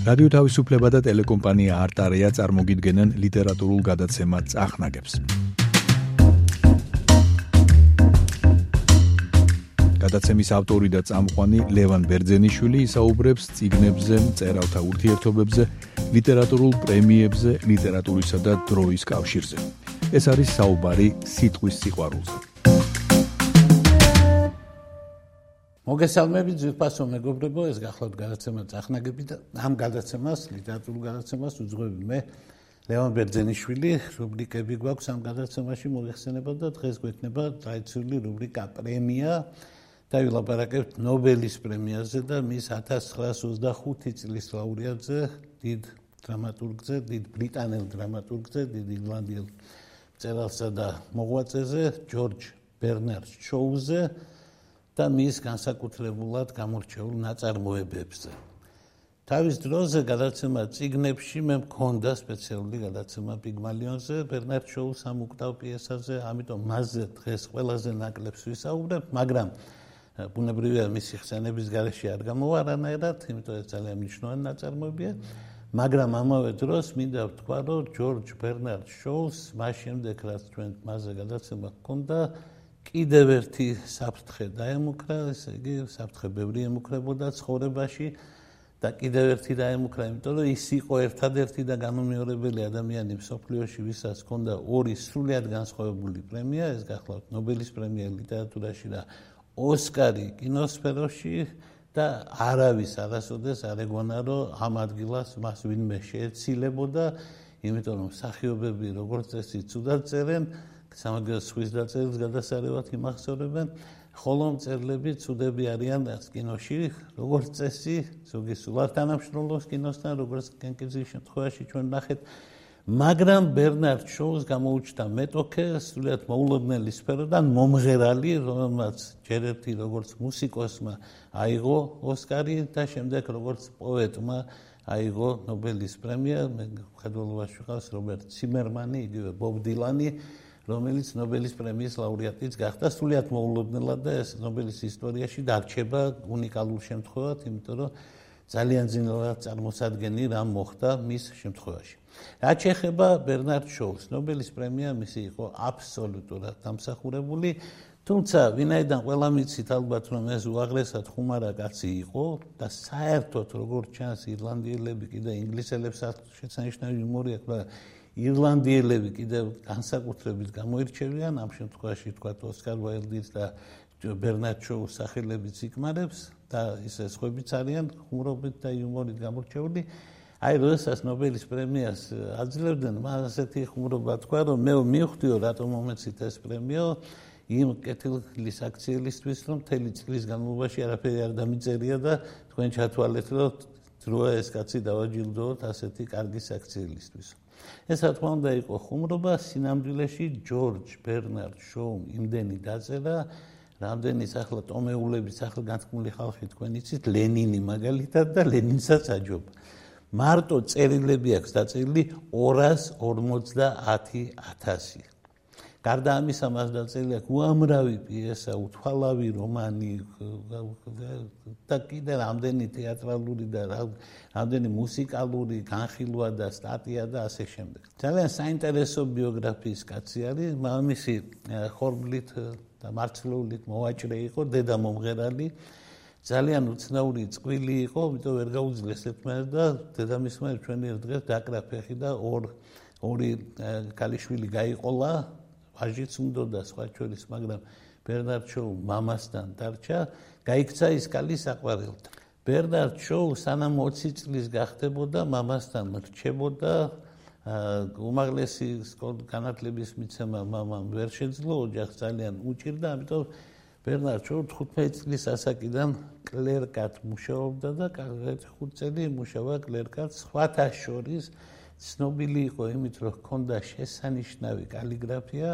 რადიო თავისუფლება და ტელეკომპანია არტარია წარმოგიდგენენ ლიტერატურულ გადაცემა წახნაგებს. გადაცემის ავტორი და წამყვანი ლევან ბერძენიშვილი ისაუბრებს წიგნებზე, მწერალთა ურთიერთობებზე, ლიტერატურულ პრემიებზე, ლიტერატურისა და დროის კავშირზე. ეს არის საუბარი სიტყვის სიყვარულზე. მოგესალმებით ძვირფასო მეგობრებო, ეს გახლავთ გადაცემა წახნაგები და ამ გადაცემას, ლიტერატურულ გადაცემას უძღვები მე ლევან ბერძენიშვილი. რუბრიკები გვაქვს ამ გადაცემაში მოიხსენება და დღეს გვექნება ტრადიციული რუბრიკა პრემია და ვილაპარაკებთ ნობელის პრემიაზე და მის 1925 წლის ლაურეატზე, დიდ დრამატურგზე, დიდ ბრიტანელ დრამატურგზე, დიდ ირლანდიელ მწერალსა და მოღვაწეზე, ჯორჯ ბერნარდ შოუზე და მის განსაკუთრებულად გამორჩეულ ნაწარმოებებზე. თავის დროზე გადაცემა წიგნებში მე მქონდა სპეციალური გადაცემა პიგმალიონზე, ბერნარდ შოუს ამ უკტავ პიესაზე, ამიტომ მასზე დღეს ყველაზე ნაკლებს ვისაუბრებ, მაგრამ ბუნებრივია მისი ხსენების გარეშე არ გამოვა არანაირად, იმიტომ ეს ძალიან მნიშვნელოვანი ნაწარმოებია, მაგრამ ამავე დროს მინდა ვთქვა, რომ ჯორჯ ბერნარდ შოუს მას შემდეგ, რაც ჩვენ მასზე გადაცემა ჰქონდა, კიდევ ერთი საფრთხე დაემუქრა, ესე იგი საფრთხე ბევრი ემუქრებოდა ცხოვრებაში და კიდევ ერთი დაემუქრა, იმიტომ რომ ის იყო ერთადერთი და განუმეორებელი ადამიანი მსოფლიოში, ვისაც ჰქონდა ორი სრულიად განსხვავებული პრემია, ეს გახლავთ ნობელის პრემია ლიტერატურაში და ოსკარი კინოსფეროში და არავის არასოდეს არ ეგონა, რომ ამ ადგილას მას ვინმე შეეცილებოდა, იმიტომ რომ მსახიობები როგორც წესი ცუდად წერენ, სამაგიეროდ სხვის დაწერილს გადასარევად იმახსოვრებენ, ხოლო მწერლები ცუდები არიან კინოში, როგორც წესი, ზოგი სულ არ თანამშრომლობს კინოსთან, როგორც კენკიძის შემთხვევაში ჩვენ ნახეთ, მაგრამ ბერნარდ შოუს გამოუჩნდა მეტოქე, სრულიად მოულოდნელი სფეროდან მომღერალი, რომელმაც ჯერ ერთი როგორც მუსიკოსმა აიღო ოსკარი და შემდეგ როგორც პოეტმა აიღო ნობელის პრემია, მე მხედველობაში ვიყავს რობერტ ციმერმანი, იგივე ბობ დილანი, რომელიც ნობელის პრემიის ლაურეატიც გახდა სრულიად მოულოდნელად და ეს ნობელის ისტორიაში დარჩება უნიკალურ შემთხვევად, იმიტომ რომ ძალიან ძნელად წარმოსადგენი რამ მოხდა მის შემთხვევაში. რაც შეეხება ბერნარდ შოუს, ნობელის პრემია მისი იყო აბსოლუტურად დამსახურებული, თუმცა ვინაიდან ყველა მიცით ალბათ, რომ ეს უაღრესად ხუმარა კაცი იყო და საერთოდ როგორც ჩანს ირლანდიელები კიდე ინგლისელებს შეცანიშნავი იუმორი აქვს, მაგრამ ირლანდიელები კიდევ განსაკუთრებით გამოირჩევიან, ამ შემთხვევაში თქვათ ოსკარ უაილდის და ბერნარდ შოუს სახელებიც იკმარებს და ისე სხვაებიც არიან ხუმრობით და იუმორით გამორჩეული. აი, როდესაც ნობელის პრემიას აძლევდნენ, მას ასეთი ხუმრობა თქვა, რომ მე მივხვდიო, რატომ მომეცით ეს პრემიო, იმ კეთილის აქციელისთვის, რომ მთელი წლის განმავლობაში არაფერი არ დამიწერია და თქვენ ჩათვალეთ, რომ დროა ეს კაცი დავაჯილდოოთ ასეთი კარგი აქციელისთვის. ეს რა თქმა უნდა იყო ხუმრობა, სინამდვილეში ჯორჯ ბერნარდ შოუმ იმდენი დაწერა, რამდენიც ახლა ტომეულების ახლა განთქმული ხალხი თქვენ იცით, ლენინი მაგალითად და ლენინსაც აჯობა. მარტო წერილები აქვს დაწერილი 250,000. გარდა ამისა, მას დაწერილი აქვს უამრავი პიესა, უთვალავი რომანი და კიდე რამდენი თეატრალური და რამდენი მუსიკალური განხილვა და სტატია და ასე შემდეგ. ძალიან საინტერესო ბიოგრაფიის კაცი არის, მამამისი ხორბლით და მარცვლეულით მოვაჭრე იყო, დედა მომღერალი, ძალიან უცნაური წყვილი იყო, იმიტომ ვერ გაუძლეს ერთმანეთს და დედამისმა ჩვენი ერთ დღეს დაკრა ფეხი და ორი ქალიშვილი გაიყოლა, ვაჟიც უნდოდა სხვა შორის, მაგრამ ბერნარდ შოუ მამასთან დარჩა, გაიქცა ის კალი საყვარელთან. ბერნარდ შოუ სანამ 20 წლის გახდებოდა, მამასთან რჩებოდა, უმაღლესი განათლების მიცემა მამამ ვერ შეძლო, ოჯახს ძალიან უჭირდა, ამიტომ ბერნარდ შოუ 15 წლის ასაკიდან კლერკად მუშაობდა და 5 წელი იმუშავა კლერკად, სხვათა შორის ცნობილი იყო იმით, რომ ჰქონდა შესანიშნავი კალიგრაფია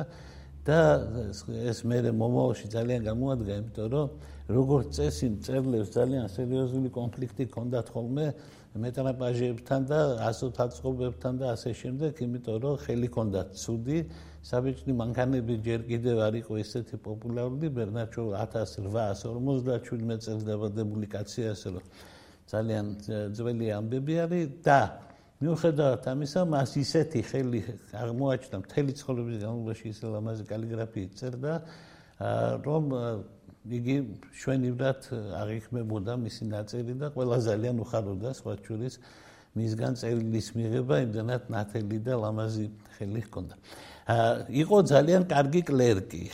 და ეს მერე მომავალში ძალიან გამოადგა, იმიტომ რომ როგორც წესი მწერლებს ძალიან სერიოზული კონფლიქტი ჰქონდათ ხოლმე მეტრაპაჟებთან და ასოთაწყობებთან და ასე შემდეგ, იმიტომ რომ ხელი ჰქონდათ ცუდი, საბეჭდი მანქანები ჯერ კიდევ არ იყო ისეთი პოპულარული, ბერნარდ შოუ 1857 წელს დაბადებული კაცია, ასე რომ ძალიან ძველი ამბები არის და მიუხედავად ამისა, მას ისეთი ხელი აღმოაჩნდა მთელი ცხოვრების განმავლობაში ისე ლამაზი კალიგრაფიით წერდა, რომ იგი შვენივრად აღიქმებოდა მისი ნაწერი და ყველა ძალიან უხაროდა სხვა შორის მისგან წერილის მიღება, იმდენად ნათელი და ლამაზი ხელი ჰქონდა. იყო ძალიან კარგი კლერკი.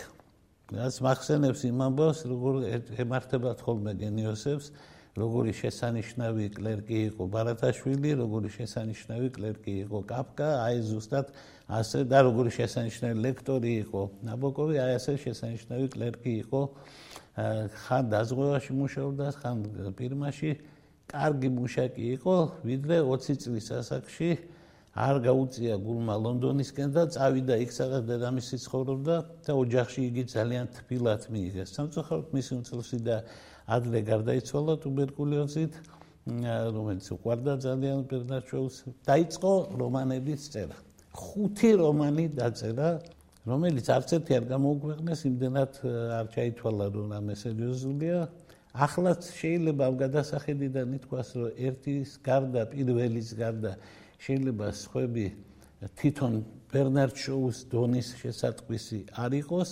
რაც მახსენებს იმ ამბავს, როგორ ემართებათ ხოლმე გენიოსებს, როგორი შესანიშნავი კლერკი იყო ბარათაშვილი, როგორი შესანიშნავი კლერკი იყო კაფკა, აი ზუსტად ასე და როგორი შესანიშნავი ლექტორი იყო ნაბოკოვი, აი ასე შესანიშნავი კლერკი იყო ხან დაზღვევაში მუშაობდა, ხან ფირმაში, კარგი მუშაკი იყო, ვიდრე 20 წლის ასაკში არ გაუწია გულმა ლონდონისკენ და წავიდა იქ, სადაც დედამისი ცხოვრობდა და ოჯახში იგი ძალიან თბილად მიიღეს. სამწუხაროდ მისი უმცროსი და ადრე გარდაიცვალა ტუბერკულოზით, რომელიც უყვარდა ძალიან ბერნარდ შოუს. დაიწყო რომანების წერა. 5 რომანი დაწერა, რომელიც არც ერთი არ გამოუქვეყნეს, იმდენად არ ჩაითვალა, რომ რამე სერიოზულია. ახლაც შეიძლება ამ გადასახედიდან ითქვას, რომ ერთის გარდა, პირველის გარდა შეიძლება სხვები თვითონ ბერნარდ შოუს დონის შესატყვისი არ იყოს,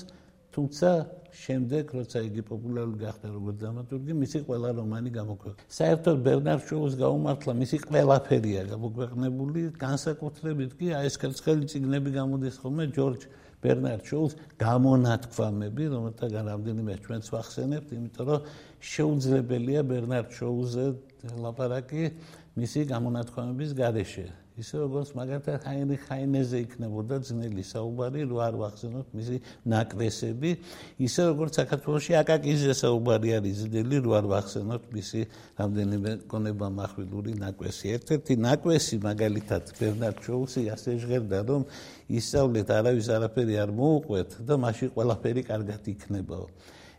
თუმცა შემდეგ, როცა იგი პოპულარული გახდა როგორც დრამატურგი, მისი ყველა რომანი გამოქვეყნდა. საერთოდ ბერნარდ შოუს გაუმართლა მისი ყველაფერია გამოქვეყნებული, განსაკუთრებით კი აი ეს კერცხელი წიგნები გამოდის ხოლმე ჯორჯ ბერნარდ შოუს გამონათქვამები, რომელთაგან რამდენიმე ჩვენც ვახსენებთ, იმიტომ რომ შეუძლებელია ბერნარდ შოუზე ლაპარაკი მისი გამონათქვამების გარეშე. ისე როგორც მაგალითად ჰაინრიხ ჰაინეზე იქნებოდა ძნელი საუბარი, რო არ ვახსენოთ მისი ნაკვესები, ისე როგორც საქართველოში აკაკიზე საუბარი არის ძნელი, რო არ ვახსენოთ მისი რამდენიმე გონება מחვილური ნაკვესი. ერთ-ერთი ნაკვესი მაგალითად ბერნარდ შოუსი ასე ჟღერდა, რომ ისწავლეთ არავის არაფერი არ მოუყვეთ და მაშინ ყველაფერი კარგად იქნებაო.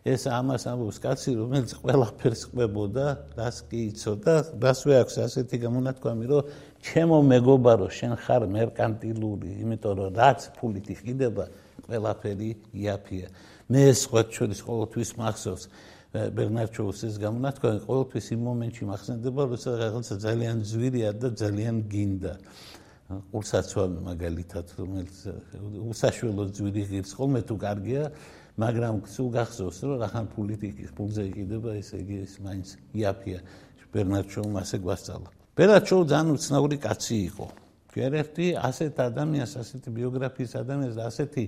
ეს ამას ამბობს კაცი, რომელიც ყველაფერს ყვებოდა, რას კი იცოდა, რასვე აქვს ასეთი გამონათქვამი, რომ ჩემო მეგობარო, შენ ხარ მერკანტილური, იმიტომ რომ რაც ფულით იყიდება, ყველაფერი იაფია. მე სხვა შორის ყოველთვის მახსოვს ბერნარდ შოუსის გამონათქვამი, ყოველთვის იმ მომენტში მახსენდება, როცა რაღაცა ძალიან ძვირია და ძალიან გინდა. ყურსაცვამი მაგალითად, რომელიც უსაშველო ძვირი ღირს ხოლმე თუ კარგია, მაგრამ სულ გახსოვს, რომ რახან ფულზე იყიდება, ესე იგი ეს მაინც იაფია. ბერნარდ შოუმ ასე გვასწავლა. ბერნარდ შოუ ძალიან უცნაური კაცი იყო. ერთ-ერთი ასეთ ადამიანს, ასეთი ბიოგრაფიის ადამიანს და ასეთი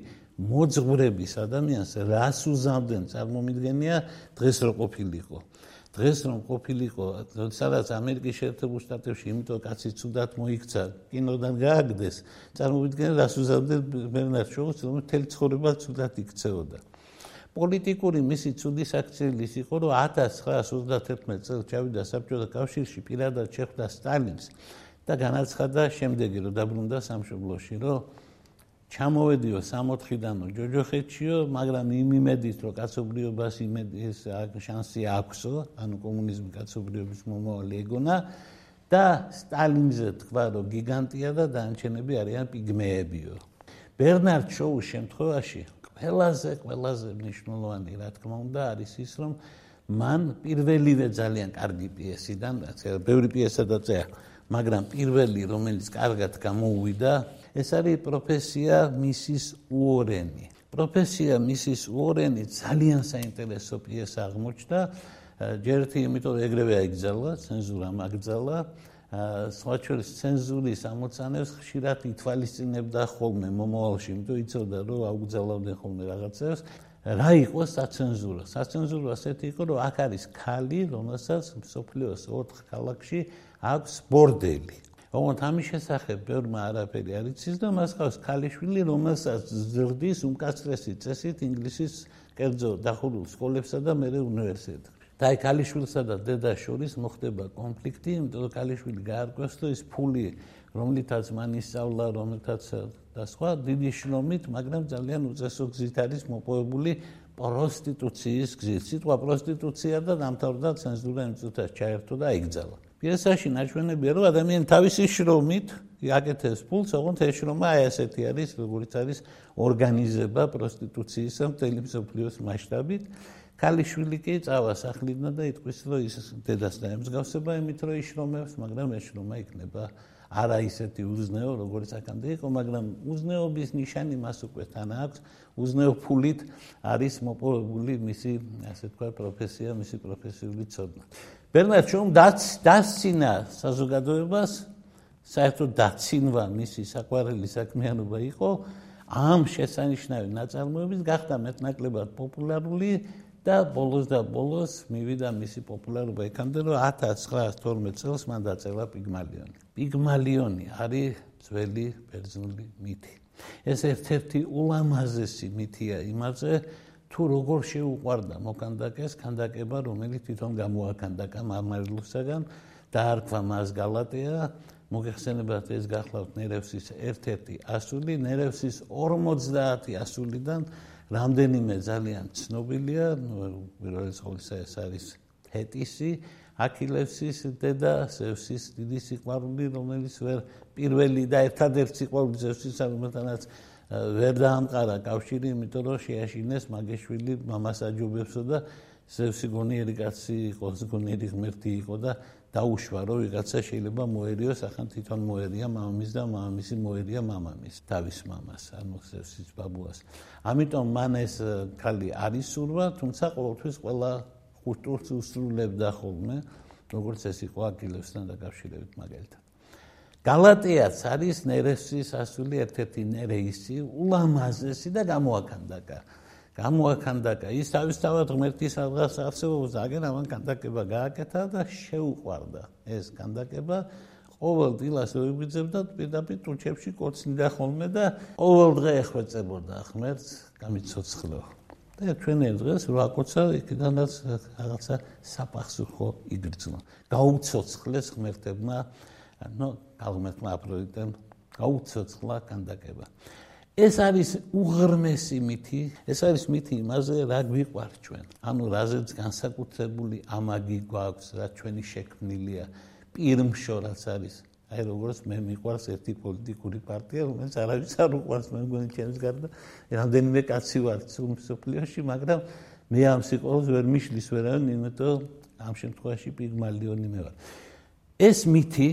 მოძღვრების ადამიანს, რას უზამდნენ წარმომიდგენია დღეს რო ყოფილიყო. დღეს რომ ყოფილიყო, სადაც ამერიკის შეერთებულ შტატებში, იმიტომ კაცი ცუდად მოიქცა, კინოდან გააგდეს, წარმოვიდგინეთ, რას უზამდნენ ბერნარდ შოუს, რომელიც მთელი ცხოვრება ცუდად იქცეოდა. პოლიტიკური მისი ცუდი საქციელი ის იყო, რომ 1931 წელს ჩავიდა საბჭოთა კავშირში, პირადად შეხვდა სტალინს და განაცხადა შემდეგი, რომ დაბრუნდა სამშობლოში, რომ ჩამოვედიო 64-დანო ჯოჯოხეთშიო, მაგრამ იმ იმედით, რომ კაცობრიობას იმედის შანსი აქვსო, ანუ კომუნიზმი კაცობრიობის მომავალი ეგონა და სტალინზე თქვა, რომ გიგანტია და დანარჩენები არიან პიგმეებიო. ბერნარდ შოუს შემთხვევაში ყველაზე მნიშვნელოვანი, რა თქმა უნდა, არის ის, რომ მან პირველივე ძალიან კარგი პიესიდან, ბევრი პიესა დაწერა, მაგრამ პირველი, რომელიც კარგად გამოუვიდა, ეს არის პროფესია მისის უორენი. პროფესია მისის უორენი ძალიან საინტერესო პიესა აღმოჩნდა, ჯერ ერთი, იმიტომ რომ ეგრევე აიგზავნა, ცენზურამ აკრძალა, სხვა შორის ცენზურის ამოცანებს ხშირად ითვალისწინებდა ხოლმე მომავალში, იმიტომ იცოდა, რომ აუგზავნებდნენ ხოლმე რაღაცებს. რა იყო საცენზურო? საცენზურო ასეთი იყო, რომ აქ არის ქალი, რომელსაც მსოფლიოს 4 ქალაქში აქვს ბორდელი. ოღონდ ამის შესახებ ბევრმა არაფერი არ იცის და მას ყავს ქალიშვილი, რომელსაც ზრდის უმკაცრესი წესით ინგლისის კერძო დახურულ სკოლებსა და მერე უნივერსიტეტებში. და აი ქალიშვილსა და დედას შორის მოხდება კონფლიქტი, იმიტომ რომ ქალიშვილი გაარკვევს, რომ ის ფული, რომლითაც მან ისწავლა, რომლითაც და სხვა დიდი შრომით, მაგრამ ძალიან უწესო გზით არის მოპოვებული პროსტიტუციის გზით. სიტყვა პროსტიტუცია და დამთავრდა ცენზურა იმ წუთას ჩაერთო და აიგზალა. პიესაში ნაჩვენებია, რომ ადამიანი თავისი შრომით აკეთებს ფულს, ოღონდ ეს შრომა აი ასეთი არის, როგორც არის ორგანიზება პროსტიტუციის მთელი მსოფლიოს მასშტაბით. ქალიშვილი კი წავა სახლიდან და იტყვის, რომ ის დედას დაემსგავსება იმით, რომ იშრომებს, მაგრამ ეს შრომა იქნება არა ისეთი უზნეო, როგორც აქამდე იყო, მაგრამ უზნეობის ნიშანი მას უკვე თან აქვს. უზნეო ფულით არის მოპოვებული მისი, ასე თქვა, პროფესია, მისი პროფესიული ცოდნა. ბერნარდ შოუმ დასცინა საზოგადოებას, საერთოდ დაცინვა მისი საყვარელი საქმიანობა იყო, ამ შესანიშნავი ნაწარმოებით გახდა მეტნაკლებად პოპულარული და ბოლოს მივიდა მისი პოპულარობა იქამდე, რომ 1912 წელს მან დაწერა პიგმალიონი. პიგმალიონი არის ძველი ბერძნული მითი. ეს ერთ-ერთი ულამაზესი მითია იმაზე, თუ როგორ შეუყვარდა მოქანდაკეს ქანდაკება, რომელიც თვითონ გამოაქანდაკა მარმარილოსაგან, დაარქვა მას გალატეა. მოგეხსენებათ, ეს გახლავთ ნერევსის ერთ-ერთი ასული, ნერევსის 50 ასულიდან რამდენიმე ძალიან ცნობილია, პირველ ყოვლისა ეს არის თეტისი, აქილევსის დედა, ზევსის დიდი სიყვარული, რომელიც პირველი და ერთადერთი სიყვარული ზევსისა, რომელთანაც ვერ დაამყარა კავშირი, იმიტომ რომ შეაშინეს მაგეშვილი მამას აჯობებსო და ზევსი გონიერი კაცი იყო, გონიერი ღმერთი იყო და დაუშვა, რომ ვიღაცა შეიძლება მოერიოს, ახლა თვითონ მოერია მამამის და მამამისი მოერია მამამის, თავის მამას, ანუ ზევსის ბაბუას. ამიტომ მან ეს ქალი არ ისურვა, თუმცა ყოველთვის ყველა ხუტურს უსრულებდა ხოლმე, როგორც ეს იყო აქილევსთან დაკავშირებით მაგალითად. გალატეაც არის ნერევსის ასული, ერთ-ერთი ნერეისი, ულამაზესი და გამოაქანდაკა. ის თავისთავად ღმერთის ადგას არსებობს, აგერ ამან ქანდაკება გააკეთა და შეუყვარდა ეს ქანდაკება. ყოველ დილას ოიგრძებდა პირდაპირ ტუჩებში კოცნიდა ხოლმე და ყოველ დღე ეხვეწებოდა ღმერთს, გამიცოცხლო. და ჩვენ დღეს რა კოცა იქიდანაც რაღაცა საფახსურხო იგრძნო. გაუცოცხლეს ღმერთებმა, ღმერთმა აფროდიტემ გაუცოცხლა ქანდაკება. ეს არის უღრმესი მითი, ეს არის მითი იმაზე, რა გვიყვარს ჩვენ. ანუ რაზეც განსაკუთრებული ამაგი გვაქვს, რა ჩვენი შექმნილია, პირმშორაც არის. აი როგორც მე მიყვარს ერთი პოლიტიკური პარტია, რომელიც არავის არ უყვარს, მე მგონი ჩემს გარდა რამდენიმე კაცი ვარ მსოფლიოში, მაგრამ მე ამ სიყვარულს ვერ მიშლის ვერავინ, იმიტომ ამ შემთხვევაში პიგმალიონი მე ვარ. ეს მითი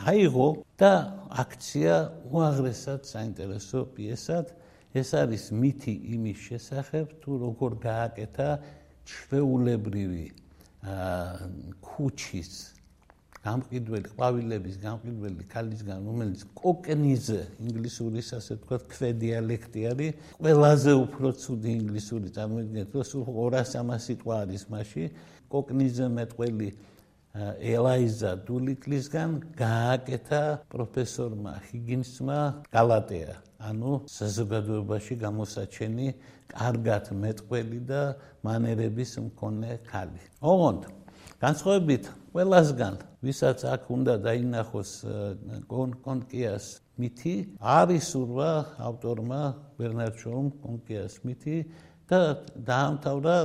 აიღო და აქცია უაღრესად საინტერესო პიესად. ეს არის მითი იმის შესახებ, თუ როგორ გააკეთა ჩვეულებრივი ქუჩის გამყიდველი, ყვავილების გამყიდველი ქალისგან, რომელიც კოკნიზე, ინგლისურის ასე ვთქვათ, ქვედიალექტი არის, ყველაზე უფრო ცუდი ინგლისური, წარმოიდგინეთ, რომ სულ 200-300 სიტყვა არის მასში, კოკნიზე მეტყველი ელაიზა დულიტლისგან გააკეთა პროფესორმა ჰიგინსმა გალატეა, ანუ საზოგადოებაში გამოსაჩენი, კარგად მეტყველი და მანერების მქონე ქალი. ოღონდ განსხვავებით ყველასგან, ვისაც აქ უნდა დაინახოს კონკიას მითი, არ ისურვა ავტორმა ბერნარდ შოუმ კონკიას მითი და დაამთავრა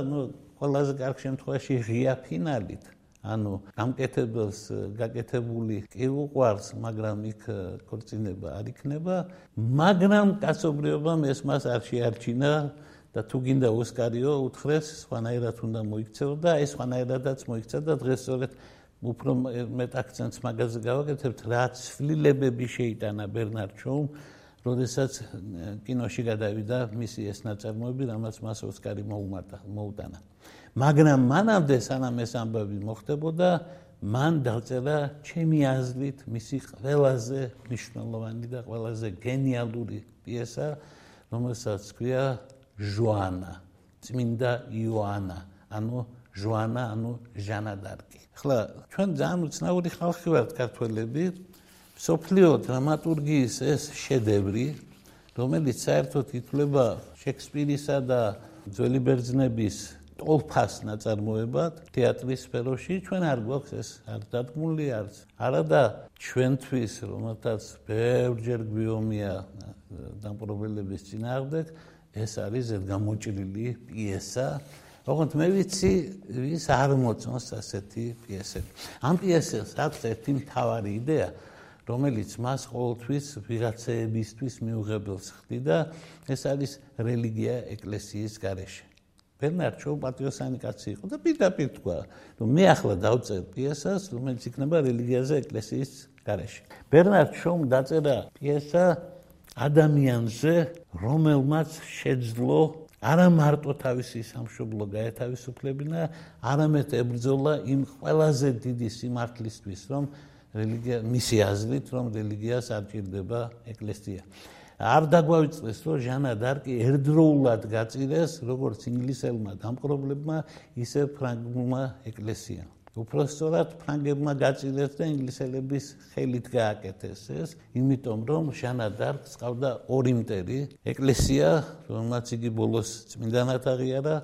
ყველაზე კარგ შემთხვევაში ღია ფინალით. ანუ გამკეთებელს გაკეთებული კი უყვარს, მაგრამ იქ ქორწინება არ იქნება, მაგრამ კაცობრიობამ ეს მას არ შეარჩინა და თუ გინდა ოსკარიო უთხრეს, სხვანაირად უნდა მოიქცეო და ეს სხვანაირადაც მოიქცა და დღეს სწორედ უფრო მეტ აქცენტს მაგაზე გავაკეთებთ, რა ცვლილებები შეიტანა ბერნარდ შოუმ, როდესაც კინოში გადავიდა მისი ეს ნაწარმოები, რამაც მას ოსკარი მოუტანა. მაგრამ მანამდე, სანამ ეს ამბავი მოხდებოდა, მან დაწერა ჩემი აზრით მისი ყველაზე მნიშვნელოვანი და ყველაზე გენიალური პიესა, რომელსაც ჰქვია ჟოანა, წმინდა იოანა, ანუ ჟოანა, ანუ ჟანა დარკი. ახლა ჩვენ ძალიან უცნაური ხალხი ვართ ქართველები, მსოფლიო დრამატურგიის ეს შედევრი, რომელიც საერთოდ ითვლება შექსპირისა და ძველი ბერძნების ტოლფას ნაწარმოებად თეატრის სფეროში, ჩვენ არ გვაქვს ეს არ დადგმული არც. არადა ჩვენთვის, რომელთაც ბევრჯერ გვიომია დამპყრობლების წინააღმდეგ, ეს არის ზედგამოჭრილი პიესა. ოღონდ მე ვიცი, ვის არ მოწონს ასეთი პიესები. ამ პიესას აქვს ერთი მთავარი იდეა, რომელიც მას ყოველთვის ვიღაცეებისთვის მიუღებელს ხდიდა, ეს არის რელიგია ეკლესიის გარეშე. ბერნარდ შოუ პატრიოტული კაცი იყო და პირდაპირ თქვა, რომ მე ახლა დავწერ პიესას, რომელიც იქნება რელიგიაზე ეკლესიის გარეშე. ბერნარდ შოუმ დაწერა პიესა ადამიანზე, რომელმაც შეძლო არა მარტო თავისი სამშობლო გაეთავისუფლებინა, არამედ ებრძოლა იმ ყველაზე დიდი სიმართლისთვის, რომ რელიგია მისი აზრით, რომ რელიგიას არ ჭირდება ეკლესია. არ დაგვავიწყდეს, რომ ჟანა დარკი ერთდროულად გაწირეს როგორც ინგლისელმა დამპყრობლებმა, ისე ფრანგულმა ეკლესიამ. უпростоრად ფრანგებმა გაწირეს და ინგლისელების ხელით გააკეთეს ეს, იმიტომ რომ ჟანა დარკს ყავდა ორი მტერი, ეკლესია, რომელმაც იგი ბოლოს წმინდანად აღიარა,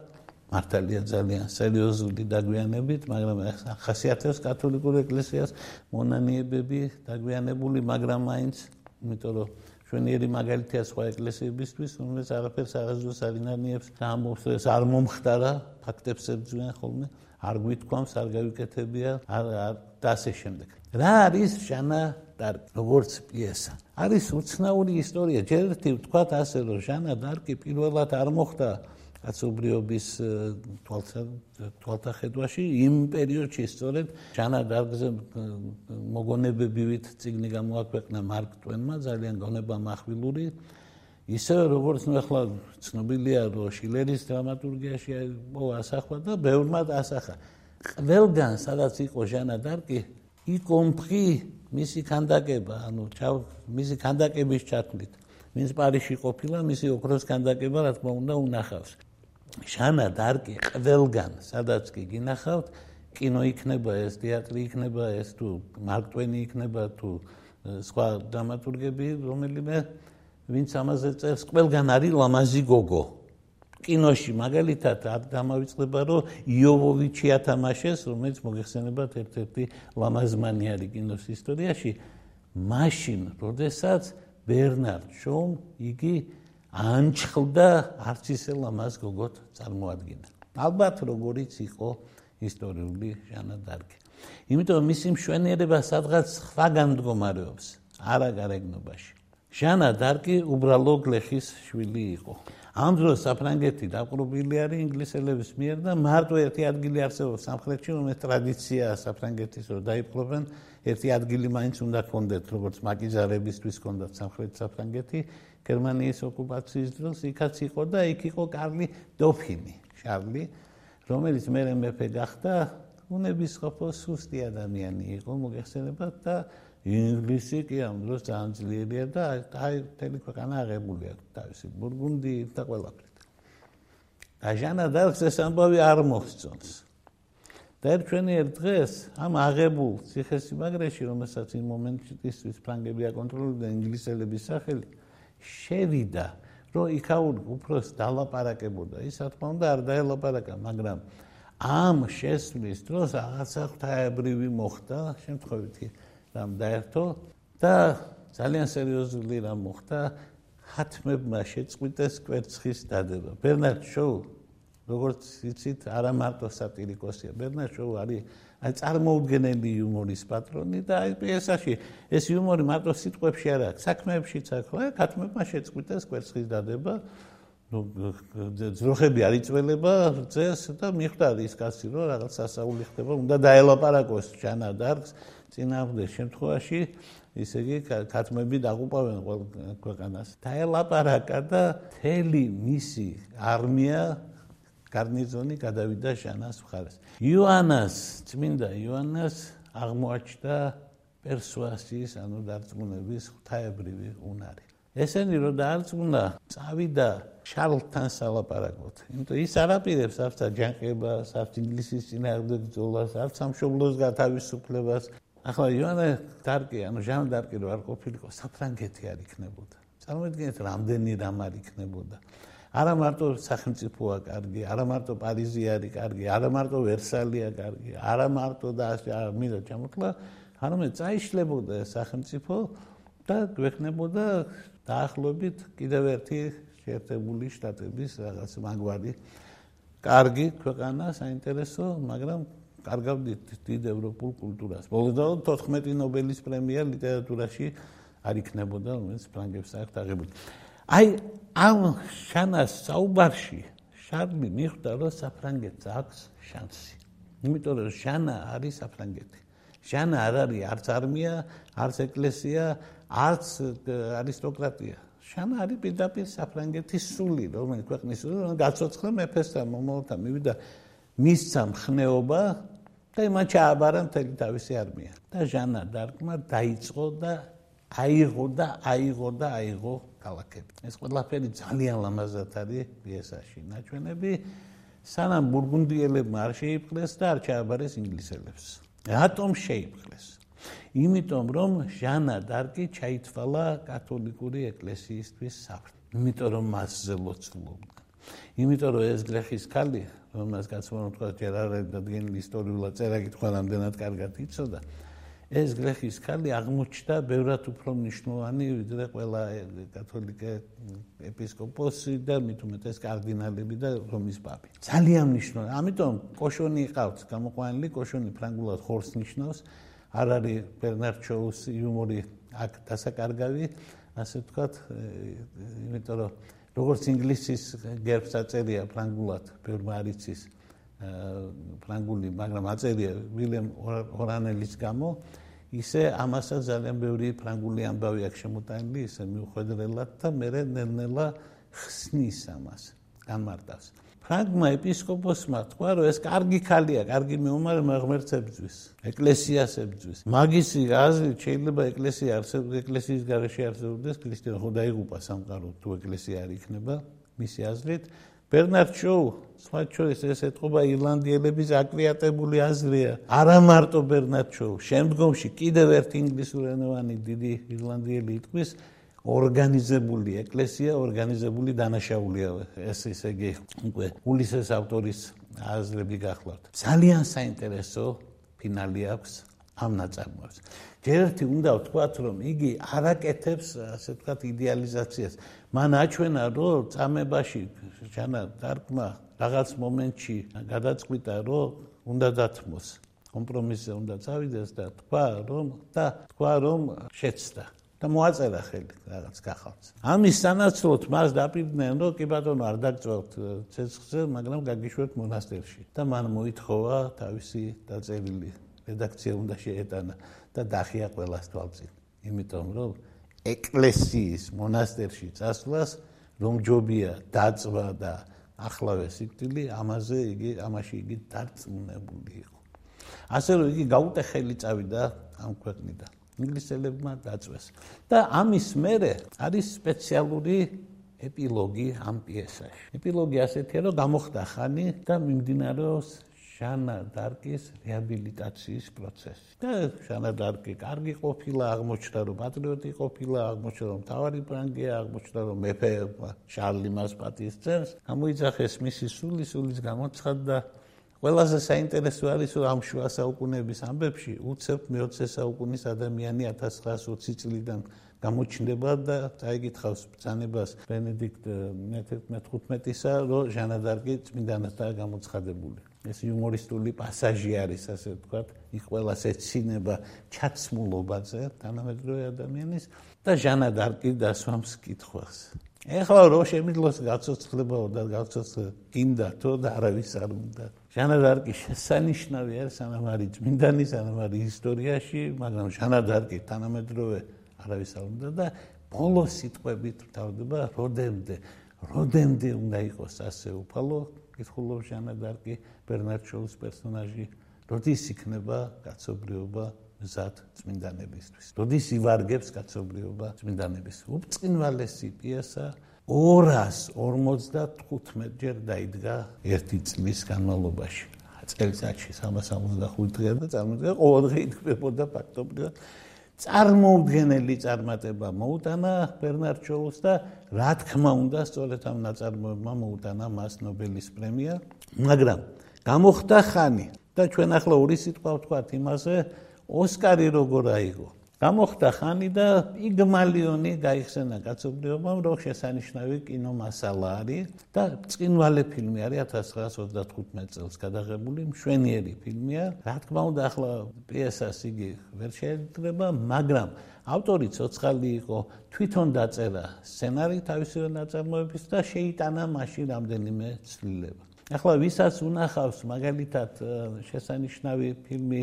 მართალია ძალიან სერიოზული დაგვიანებით, მაგრამ ახასიათებს კათოლიკურ ეკლესიას მონანიებები დაგვიანებული, მაგრამ მაინც, იმიტომ რომ ჩვენიერი მაგალითია სხვა ეკლესიებისთვის, რომელიც არაფერს არასდროს არ ინარნიებს და ამბობს, არ მომხდარა, ფაქტებს ებრძვიან ხოლმე, არ გვითქვამს, არ გავიკეთებია, და ასე შემდეგ. რა არის ჟანა დარკი, როგორც პიესა? არის უცნაური ისტორია. ჯერ ერთი ვთქვათ ასე, რომ ჟანა დარკი პირველად არ მოხდა კაცობრიობის თვალთახედვაში, იმ პერიოდში სწორედ ჟანა დარკზე მოგონებებივით წიგნი გამოაქვეყნა მარკ ტვენმა, ძალიან გონება מחვილური. ისე როგორც ახლა ცნობილია, რომ შილერის დრამატურგიაში ასახვა და ბევრმა ასახა. ყველგან, სადაც იყო ჟანა დარკი, იკომფი მისი ქანდაკება, მისი ქანდაკების ჩათვლით. ვინც პარიზში ყოფილა, მისი ოქროს ქანდაკება, რა თქმა უნდა, უნახავს. ჟანა დარკი ყველგან, სადაც კი გინახავთ, კინო იქნება ეს, თეატრი იქნება ეს, თუ მარკ ტვენი იქნება, თუ სხვა დრამატურგები, რომელიმე ვინც ამაზე წერს, ყველგან არის ლამაზი გოგო. კინოში მაგალითად არ დამავიწყდება, რომ იოვოვიჩი ათამაშეს, რომელიც მოგეხსენებათ ერთ-ერთი ლამაზმანიარი კინოს ისტორიაში, მაშინ, როდესაც ბერნარდ შოუმ იგი ანჩხლდა არც ისე ლამაზ გოგოთ წარმოადგინა. ალბათ როგორიც იყო ისტორიული ჟანა დარკი. იმიტომ მისი მშვენიერება სადღაც სხვაგან მდგომარეობს, არა გარეგნობაში. ჟანა დარკი უბრალო გლეხის შვილი იყო. ამ დროს საფრანგეთი დაპყრობილი არის ინგლისელების მიერ და მარტო ერთი ადგილი არსებობს სამხრეთში, რომელიც ტრადიციაა საფრანგეთის, რომ დაიპყრობენ, ერთი ადგილი მაინც უნდა ჰქონდეთ, როგორც მაკიზარებისთვის ჰქონდათ სამხრეთ საფრანგეთი, გერმანიის ოკუპაციის დროს იქაც იყო და იქ იყო კარლი დოფინი, შარლი, რომელიც მერე მეფე გახდა, უნებისყოფო სუსტი ადამიანი იყო, მოგეხსენებათ და ინგლისი კი ამ დროს ძალიან ძლიერია და მთელი ქვეყანა აღებულია თავისი ბურგუნდიით და ყველაფრით. და ჟანა დარკს ეს ამბავი არ მოხსწონს. და ერთვენიერ დღეს ამ აღებულ ციხესიმაგრეში, რომელსაც იმ მომენტისთვის ფრანგები აკონტროლებდნენ ინგლისელების სახელი, შევიდა, რომ იქაური უფროს დალაპარაკებოდა. ის რა თქმა უნდა არ დაელაპარაკა, მაგრამ ამ შესვლის დროს რაღაცა ღვთაებრივი მოხდა, შემთხვევითი რამ დაერთო და ძალიან სერიოზული რამ მოხდა, ხათმებმა შეწყვიტეს კვერცხის დადება. ბერნარდ შოუ, როგორც იცით, არა მარტო სატირიკოსია, ბერნარდ შოუ არის წარმოუდგენელი იუმორის პატრონი და აი პიესაში ეს იუმორი მარტო სიტყვებში არ აქვს, საქმეებშიც აქვს. ხათმებმა შეწყვიტეს კვერცხის დადება, ძროხები არ იწველება წეს და მიხვდა ის კაცი, რომ რაღაც სასაული ხდება, უნდა დაელაპარაკოს ჟანა დარკს. წინააღმდეგ შემთხვევაში, ისე იგი ქათმები დაღუპავენ ქვეყანას. დაელაპარაკა და მთელი მისი არმია გარნიზონი გადავიდა ჟანას მხარეს. იოანას, წმინდა იოანას აღმოაჩნდა პერსუასიის, ანუ დარწმუნების ღვთაებრივი უნარი. ესენი რომ დაარწმუნა, წავიდა შარლთან სალაპარაკოთ. იმიტომ ის არ აპირებს არც აჯანყებას, არც ინგლისის წინააღმდეგ ბრძოლას, არც სამშობლოს გათავისუფლებას. ახლა იოანა დარკი, ანუ ჟანა დარკი რო არ ყოფილიყო, საფრანგეთი არ იქნებოდა. წარმოიდგინეთ, რამდენი რამ არ იქნებოდა. არა მარტო სახელმწიფოა კარგი, არა მარტო პარიზი არის კარგი, არა მარტო ვერსალია კარგი, არა მარტო და მინდა ჩამოთვლა, არამედ წაიშლებოდა სახელმწიფო და გვექნებოდა დაახლოებით კიდევ ერთი შეერთებული შტატების რაღაც მაგვარი კარგი ქვეყანა, საინტერესო, მაგრამ კარგავდით დიდ ევროპულ კულტურას. ბოლოდან 14 ნობელის პრემია ლიტერატურაში არ იქნებოდა, რომელიც ფრანგებს აქვს აღებული. აი ამ შანას საუბარში შარლი მიხვდა, რომ საფრანგეთს აქვს შანსი. იმიტომ რომ ჟანა არის საფრანგეთი. ჟანა არ არის არც არმია, არც ეკლესია, არც არისტოკრატია. ჟანა არის პირდაპირ საფრანგეთის სული, რომელიც ქვეყნის სული, რომელიც გაცოცხლა მეფესთან, მომავალთან მივიდა, მისცა მხნეობა და იმან ჩააბარა მთელი თავისი არმია. და ჟანა დარკმა დაიწყო და აიღო ქალაქები. ეს ყველაფერი ძალიან ლამაზად არის პიესაში ნაჩვენები. სანამ ბურგუნდიელებმა არ შეიპყრეს და არ ჩააბარეს ინგლისელებს. რატომ შეიპყრეს? იმიტომ რომ ჟანა დარკი ჩაითვალა კათოლიკური ეკლესიისთვის საფრთხე. იმიტომ რომ მასზე ლოცულობდა. იმიტომ რომ ეს გლეხის ქალი, რომელსაც გაცნობ თქვა ჯერ არ დადგენილი ისტორიულად წერა-კითხვა რამდენად კარგად იცოდა, ეს გლეხის ქალი აღმოჩნდა ბევრად უფრო მნიშვნელოვანი ვიდრე ყველა კათოლიკე ეპისკოპოსი და მით უმეტეს კარდინალები და რომის პაპი. ძალიან მნიშვნელოვანი. ამიტომ კოშონი ყავთ გამოყვანილი, კოშონი ფრანგულად ხორს ნიშნავს. არ არის ბერნარ შოუს იუმორი აქ დასაკარგავი, ასე ვთქვათ, იმიტომ რომ როგორც ინგლისის გერბს აწერია ფრანგულად, ბევრმა არ იცის ფრანგული, მაგრამ აწერია ვილემ ორანელის გამო, ისე ამასაც ძალიან ბევრი ფრანგული ამბავი აქვს შემოტანილი, ისე მიუხედველად და მერე ნელ-ნელა ხსნის ამას, განმარტავს. ფრანგმა ეპისკოპოსმა თქვა, რომ ეს კარგი ქალია, კარგი მეომარი, ღმერთს ებრძვის, ეკლესიას ებრძვის. მაგისი აზრით შეიძლება ეკლესიის გარეშე არსებობდეს ქრისტიანობა, ხო დაიღუპა სამყარო თუ ეკლესია არ იქნება, მისი აზრით. ბერნარ შოუ, სხვა შორის ეს ეთყობა ირლანდიელების აკვიატებული აზრია. არა მარტო ბერნარ შოუ, შემდგომში კიდევ ერთი ინგლისურენოვანი დიდი ირლანდიელი იტყვის, ორგანიზებული ეკლესია, ორგანიზებული დანაშაულია. ეს ისე იგი უკვე ულისეს ავტორის აზრები გახლავთ. ძალიან საინტერესო ფინალი აქვს ამ ნაწარმოებს. ჯერ ერთი უნდა ვთქვათ, რომ იგი არ აკეთებს, ასე ვთქვათ, იდეალიზაციას. მან აჩვენა, რომ წამებაში ჟანა დარკმა რაღაც მომენტში გადაწყვიტა, რომ უნდა დათმოს, კომპრომისზე უნდა წავიდეს და თქვა, რომ შეცდა. და მოაწერა ხელი რაღაც გახავთ. ამის სანაცვლოდ მას დაპირდნენ, რომ კი ბატონო არ დაგწევთ ცეცხლზე, მაგრამ გაგიშვებთ მონასტერში. და მან მოითხოვა თავისი დაწერილი რედაქცია უნდა შეეტანა და დახია ყველას თვალწინ. იმიტომ რომ ეკლესიის მონასტერში წასვლას რომ ჯობია დაწვა და ახლავე სიკვდილი, ამაში იგი დარწმუნებული იყო. ასე რომ იგი გაუტეხელი წავიდა ამ ქვეყნიდან. ინგლისელებმა დაწვეს. და ამის მერე არის სპეციალური ეპილოგი ამ პიესაში. ეპილოგი ასეთია, რომ გამოხდა ხანი და მიმდინარეობს ჟანა დარკის რეაბილიტაციის პროცესი. და ჟანა დარკი კარგი ყოფილა, აღმოჩნდა, რომ პატრიოტი ყოფილა, აღმოჩნდა, რომ მთავარი ფრანგია, აღმოჩნდა, რომ მეფე შარლი მას პატივს. გამოიძახეს მისი სულის გამოცხადდა. ყველაზე საინტერესო არის, რომ ამ შუა საუკუნეების ამბებში უცებ მე-20 საუკუნის ადამიანი 1920 წლიდან გამოჩნდება და წაიკითხავს ბრძანებას ბენედიქტ მე-15-ისა, რომ ჟანა დარკი წმინდანადაა გამოცხადებული. ეს იუმორისტული პასაჟი არის, ასე ვთქვათ, იქ ყველას ეცინება ჩაცმულობაზე თანამედროვე ადამიანის და ჟანა დარკი დასვამს კითხვას. ეხლა რო შემიძლოს გაცოცხლებაო და გინდა თუ და არავის არ უნდა. ჟანა დარკი შესანიშნავი არის, სანამ არის წმინდანი, სანამ არის ისტორიაში, მაგრამ ჟანა დარკი თანამედროვე არავის არ უნდა და ბოლო სიტყვებით ვთავდება, როდემდე უნდა იყოს ასე უფალო, კითხულობს ჟანა დარკი, ბერნარ შოუს პერსონაჟი, როდის იქნება კაცობრიობა მზად წმინდანებისთვის. როდის ივარგებს კაცობრიობა წმინდანებისთვის. უბრწყინვალესი პიესა 255 ჯერ დაიდგა ერთი წლის განმავლობაში. წელიწადში 365 დღე და წარმოიდგინეთ, ყოველ დღე იდგმებოდა ფაქტობრივად. წარმოუდგენელი წარმატება მოუტანა ბერნარ შოუს და რა თქმა უნდა, სწორედ ამ ნაწარმოებმა მოუტანა მას ნობელის პრემია, მაგრამ გამოხდა ხანი და ჩვენ ახლა ორი სიტყვა ვთქვათ იმაზე, ოსკარი როგორ აიღო. გამოხდა ხანი და პიგმალიონი გაიხსენა კაცობრიობამ, რომ შესანიშნავი კინომასალა არის და ბრწყინვალე ფილმი არის 1935 წელს გადაღებული, მშვენიერი ფილმია. რა თქმა უნდა, ახლა პიესას იგი ვერ შეეძრება, მაგრამ ავტორი ცოცხალი იყო, თვითონ დაწერა სცენარი თავისი ნაწარმოების და შეიტანა მაშინ რამდენიმე ცვლილება. ახლა ვისაც უნახავს მაგალითად შესანიშნავი ფილმი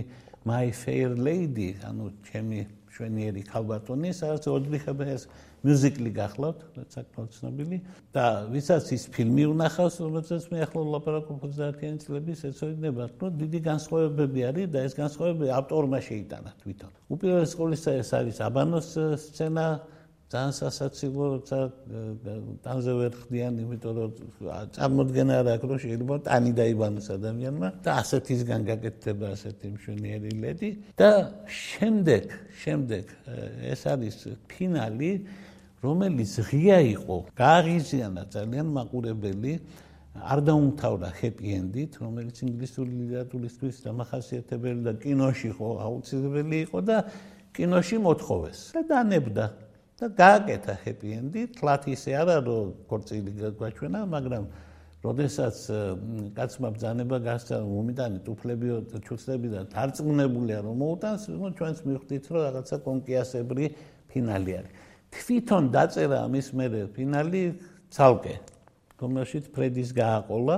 My Fair Lady, ანუ ჩემი მშვენიერი ქალბატონი, სადაც Audrey Hepburn-ის მიუზიკლი გახლავთ, საკმაოდ ცნობილი და ვისაც ის ფილმი უნახავს, რომელზეც მე ახლა ვლაპარაკობ 30-იანი წლების ეცოდინებათ, რომ დიდი განსხვავებები არის და ეს განსხვავებები ავტორმა შეიტანა თვითონ. უპირველეს ყოვლისა ეს არის აბანოს სცენა, ძალიან სასაცილო, როცა ტანზე ვერ ხდიან, იმიტომ რომ წარმოდგენა არ აქვს, რომ შეიძლება ტანი დაიბანოს ადამიანმა და ასეთისგან გაკეთდება ასეთი მშვენიერი ლედი და შემდეგ ეს არის ფინალი, რომელიც ღია იყო, გააღიზიანა ძალიან მაყურებელი, არ დაუმთავრა happy end-ით, რომელიც ინგლისური ლიტერატურისთვის დამახასიათებელი და კინოში ხო აუცილებელი იყო და კინოში მოთხოვეს და დანებდა. და გააკეთა happy end-ი, თლათ ისე არა, რომ ქორწილი გაგვაჩვენა, მაგრამ როდესაც კაცმა ბრძანება გასცა, რომ უმიტანი ტუფლებიო ჩუცლები და დარწმუნებულია, რომ მოუტანს, ჩვენც მივხვდით, რომ რაღაცა კონკიასებრი ფინალი არის. თვითონ დაწერა ამის მერე ფინალი ცალკე, რომელშიც ფრედის გააყოლა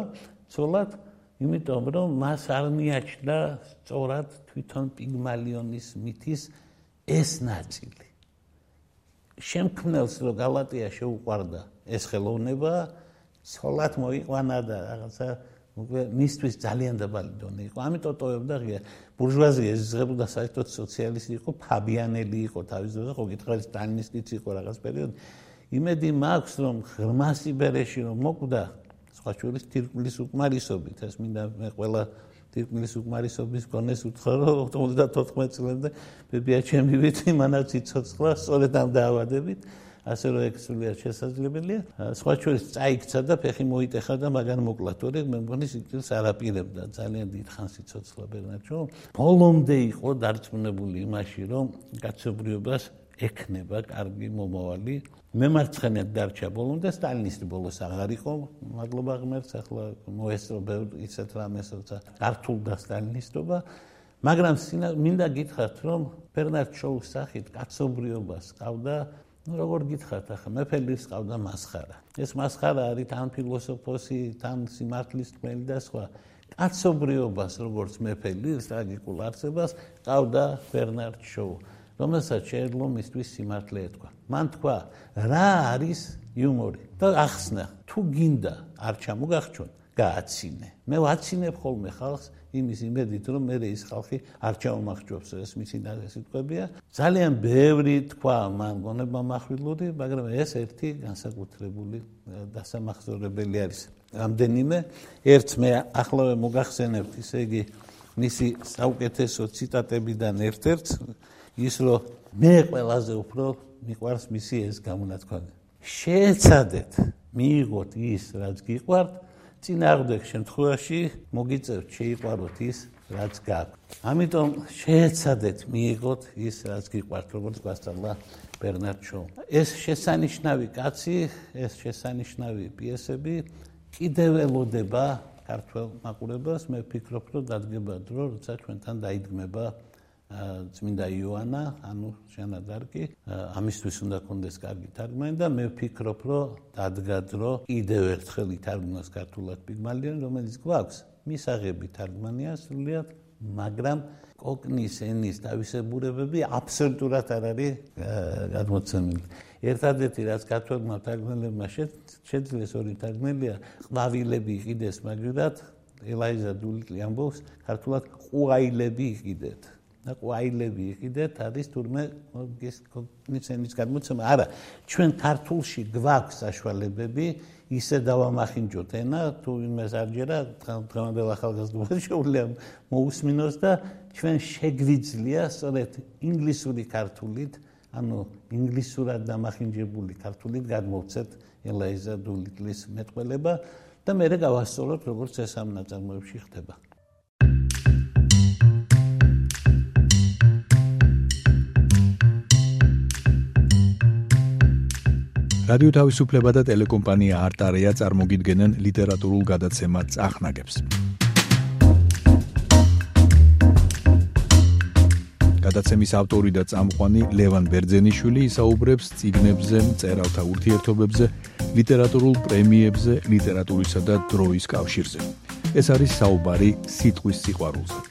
ცოლად, იმიტომ რომ მას არ მიაჩნდა სწორად თვითონ პიგმალიონის მითის ეს ნაწილი. შემქმნელს რომ გალატია შეუყვარდა ეს ხელოვნება, ცოლად მოიყვანა და რაღაცა მისთვის ძალიან დაბალი დონე იყო. ამიტომ ტოვებდა ღია. ბურჟუაზია ეზღებოდა საერთოდ სოციალისტი იყო, ფაბიანელი იყო თავის დროზე, ხო გითხრათ სტალინისტიც იყო რაღაც პერიოდი. იმედი მაქვს, რომ ღრმა სიბერეში რომ მოკვდა, სხვა შორის თირკმლის უკმარისობით, ეს მინდა მე ყველა თირკმლის უკმარისობის გონეს უთხრა, რომ 94 წლამდე ბებია ჩემი ვიცი, მანაც იცოცხლა, სწორედ ამ დაავადებით, ასე რომ ეგ სულიად შესაძლებელია. სხვა შორის წაიქცა და ფეხი მოიტეხა და მაგან მოკლა, თორე მე მგონი სიკვდილს არ აპირებდა, ძალიან დიდ ხანს იცოცხლა ბერნარდ. ბოლომდე იყო დარწმუნებული იმაში, რომ კაცობრიობას ექნება კარგი მომავალი. მემარცხენედ დარჩა ბოლომდე, სტალინისტი ბოლოს აღარ იყო, მადლობა ღმერთს, ახლა მოესწრო ბევრ ისეთ რამეს, როცა გართულდა სტალინისტობა, მაგრამ მინდა გითხრათ, რომ ბერნარდ შოუს სახით კაცობრიობას ჰყავდა, როგორ გითხრათ, ახლა მეფელის ჰყავდა მასხარა. ეს მასხარა არის თან ფილოსოფოსი, თან სიმართლის თმელი და სხვა. კაცობრიობას, როგორც მეფელის ტრაგიკულ არსებას ჰყავდა ბერნარდ შოუ. რომელსაც შეეძლო მისთვის სიმართლე ეთქვა. მან თქვა, რა არის იუმორი და ახსნა, თუ გინდა არ ჩამოგახჩონ, გააცინე. მე ვაცინებ ხოლმე ხალხს იმის იმედით, რომ მე ის ხალხი არ ჩამომახჩობს, ეს მისი სიტყვებია. ძალიან ბევრი თქვა მან გონება מחვილური, მაგრამ ეს ერთი განსაკუთრებული დასამახსოვრებელი არის. რამდენიმე ერთს მე ახლავე მოგახსენებთ, ისე იგი მისი საუკეთესო ციტატებიდან ერთ-ერთს ის რომ მე ყველაზე უფრო მიყვარს მისი ეს გამონათქვამი. შეეცადეთ მიიღოთ ის, რაც გიყვართ, წინააღმდეგ შემთხვევაში მოგიწევთ შეიყვაროთ ის, რაც გაქვთ. ამიტომ შეეცადეთ მიიღოთ ის, რაც გიყვართ, როგორც გვასწავლა ბერნარდ შოუ. ეს შესანიშნავი კაცი, ეს შესანიშნავი პიესები კიდევ ელოდება ქართველ მაყურებელს. მე ვფიქრობ, რომ დადგება დრო, როცა ჩვენთან დაიდგმება წმინდა იოანა, ანუ შენადარკი, ამისთვის უნდა კონდეს კარგი თარგმანი და მე ვფიქრობ, რომ დადგა დრო კიდევ ერთხელ ითარგმნოს ქართულად პიგმალიონი, რომელიც გვაქვს მისაღები თარგმანია სრულიად, მაგრამ კოკნის ენის თავისებურებები აბსოლუტურად არ არის გადმოცემული. ერთადერთი რაც ქართველმა თარგმნელებმა შეძლეს ორი თარგმნელია, ყვავილები იყიდეს მაგივრად, ელაიზა დულიტლი ამბობს, ქართულად ყვაილები იყიდეთ. და ყვაილები იყიდეთ არის თურმე კოგნის ენის გადმოცემა. არა, ჩვენ ქართულში გვაქვს საშუალებები, ისე დავამახინჯოთ ენა, თუ იმას არ ჯერა, დღევანდელ ახალგაზრდობას შეუძლია მოусმინოს და ჩვენ შეგვიძლია სწორედ ინგლისური ქართულით, ანუ ინგლისურად დამახინჯებული ქართულით გადმოვცეთ ელაიზა დულიტლის მეტყველება და მერე გავასწოროთ, როგორც ეს ამ ნაწარმოებში ხდება. რადიო თავისუფლება და ტელეკომპანია არტარეა წარმოგიდგენენ ლიტერატურულ გადაცემა წახნაგებს. გადაცემის ავტორი და წამყვანი ლევან ბერძენიშვილი ისაუბრებს წიგნებზე, მწერალთა ურთიერთობებზე, ლიტერატურულ პრემიებზე, ლიტერატურისა და დროის კავშირზე. ეს არის საუბარი სიტყვის სიყვარულზე.